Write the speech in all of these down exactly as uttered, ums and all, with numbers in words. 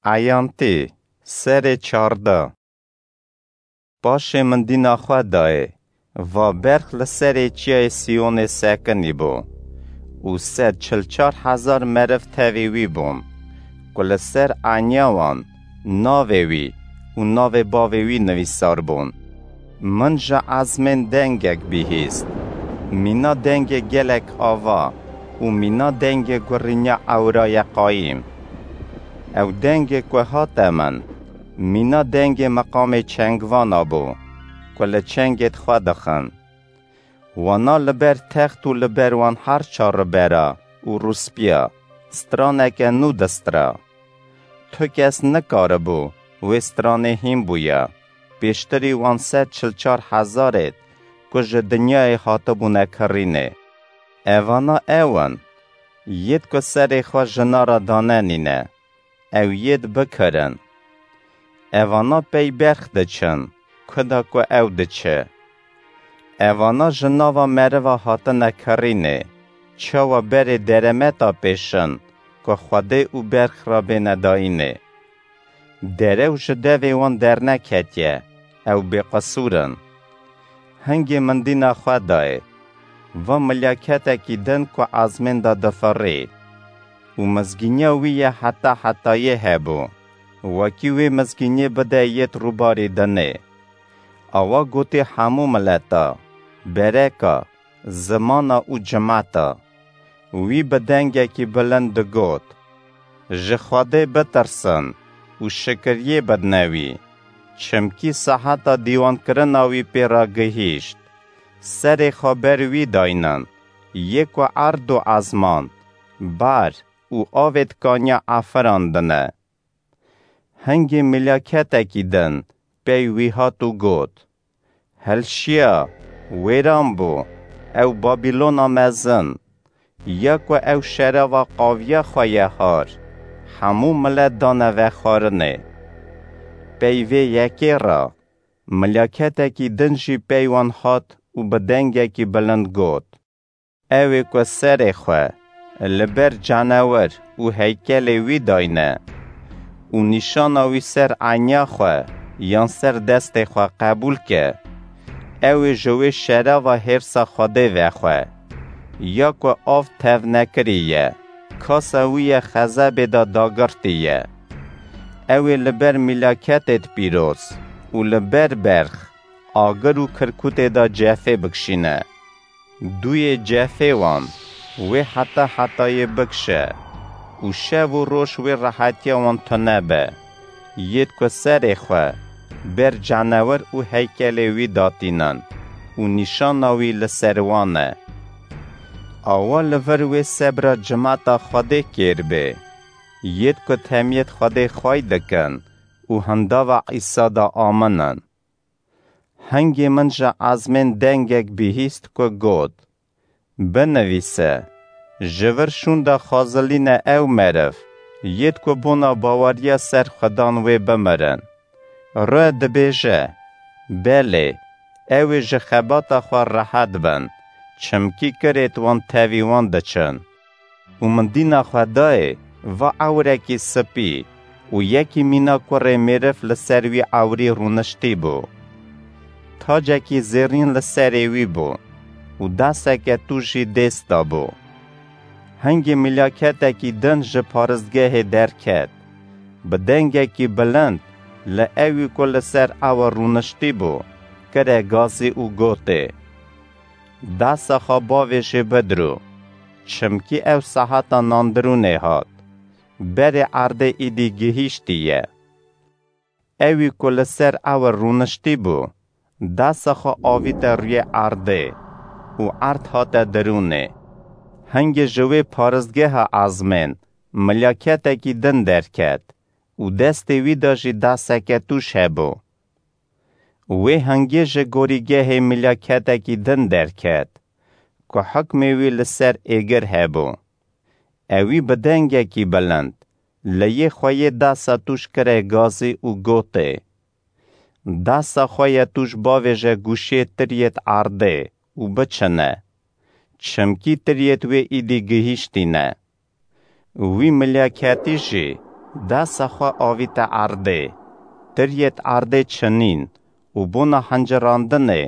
Eyantî, serê çardeh. Paşê min dîna xwe dayê, va berx li serê çiyayê Siyonê sekinî bû û sed çil çar hezar meriv tevî wî bûn, ku li ser eniya wan navê wî û navê bavê wî nivîsar bûn. Min ji ezmên dengek bihîst, mîna dengê gelek ava û mîna dengê gurînya ewraya qayîm. Ew dengê ku hate min, mîna dengê meqamê çengvana bû, ku li çengêd xwe dixin. Wana li ber text û li ber wan her çar ribera û rûspiya straneke nû distira. Tu kes nikaribû wê stranê hîn bûya, pêştirî wan sed çil çar hezarêd ku ji dinyayê hatibûne kirînê. Evana ew in, yêd ku serê xwe jina re danenîne, ew yêd bikirin. Evana pey berx diçin, kuda ku ew diçe. Evana ji nava meriva hatine kirînê, çawa berê deremeta pêşin, ku Xwedê û berx re bêne dayînê. Derew ji devê wan derneketiye, ew bêqisûr in. Hingê min dîna xwe dayê, va milyaketekî din ku ezmên de difirî û mizgîniya wî ye heta hetayê hebû, wekî wê mizgîniyê bide yêd rûbarî dinê. Awa gotê hemû mileta, bereka, zimana û cimeta. Wî bi dengekî bilind digot, Ji Xwedê bitirsin û şikiriyê bidne wî, çimkî seheta dîwankirina wî pê re gihîşt. Serê xwe ber wî daynin, yê ku erd û ezman, bar û avêd kaniya efirandine. Hingê milyaketekî din pey wî hat û got, Hilşiya, wêran bû, ew Babîlona mezin, ya ku ew şerava qaviya xwe ye har, hemû milet dane vexwarinê. Pey vê yekê re, milyaketekî din jî pey wan hat û bi dengekî bilind got, Ew ê ku serê xwe li ber canewir û heykelê wî dayne û nîşana wî ser eniya xwe yan ser destê xwe qebûl ke, ew ê ji wê şerava hêrsa Xwedê vexwe, ya ku av tevnekirî ye, kasa wî ye xezebê de dagirtî ye. Ew ê li ber milaketêd pîroz û li ber berx, agir û kirkûtê de cefê bikişîne. Dûyê cefê wan wê heta hetayê bikişe û şev û roj wê rehetiya wan tune be. Yêd ku serê xwe ber canewir û heykelê wî datînin û nîşana wî li ser wan e. Awa li vir wê sebra cimata Xwedê kêr bê. Yêd ku temiyêd Xwedê xway dikin û hindava Îsa de aminin. Hingê min ji ezmên dengek bihîst ku got, Binivîse, ji vir şûnda xwezilîne ew meriv, yêd ku bona baweriya ser Xudan wê bimirin. Re dibêje, Belê, ew ê ji xebata xwe rehet bin, çimkî kirêt wan tevî wan diçin. Û min dîna xwe dayê, va ewrekî sipî û yekî mîna kurê mêriv li ser wî ewrî rûniştî bû. Tacekî zêrîn li serê wî bû û deseke tûj jî dêst de bû. Hingê milaketekî din ji paristgehê derket, bi dengekî bilind li ewî ku li ser ew rûniştî bû, kire gazî û gotê, Desa xwe bavêjê bidirû, çimkî ew seheta nandirûnê hat, berê erdê îdî gihîştî ye. Ewî ku li ser ew rûniştî bû, desa xwe avîte rûyê erdê û erd hate dirûnê. Hingê ji wê paristgeha ezmên milaketekî din derket û destê wî de jî deseke tûj hebû. Wê hingê ji gorîgehê milaketekî din derket, ku hukmê wî li ser êgir hebû. Ewî bi dengekî bilind, leyê xwe yê desa tûj kire gazî û gotê, Desa xwe ye tûj bavêje gûşê tiriyêt erdê û biçine, çimkî tiriyêt wê îdî gihîştîne. Wî milaketî jî Desa xwe avîte erdê. Tiriyê di erdê çinîn û bona hincirandinê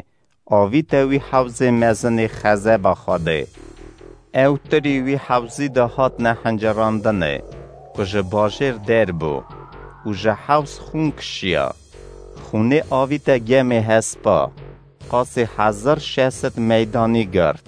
avîte wî hewzê mezinê Xezeba Xwedê. Ew tirî wî hewzî de hatine hincirandinê, ku ji bajêr dêr bû û ji hewz xûn kişiya. Xûnê avîte gemê Hespa, qasî hezar şeş sed meydanî gird.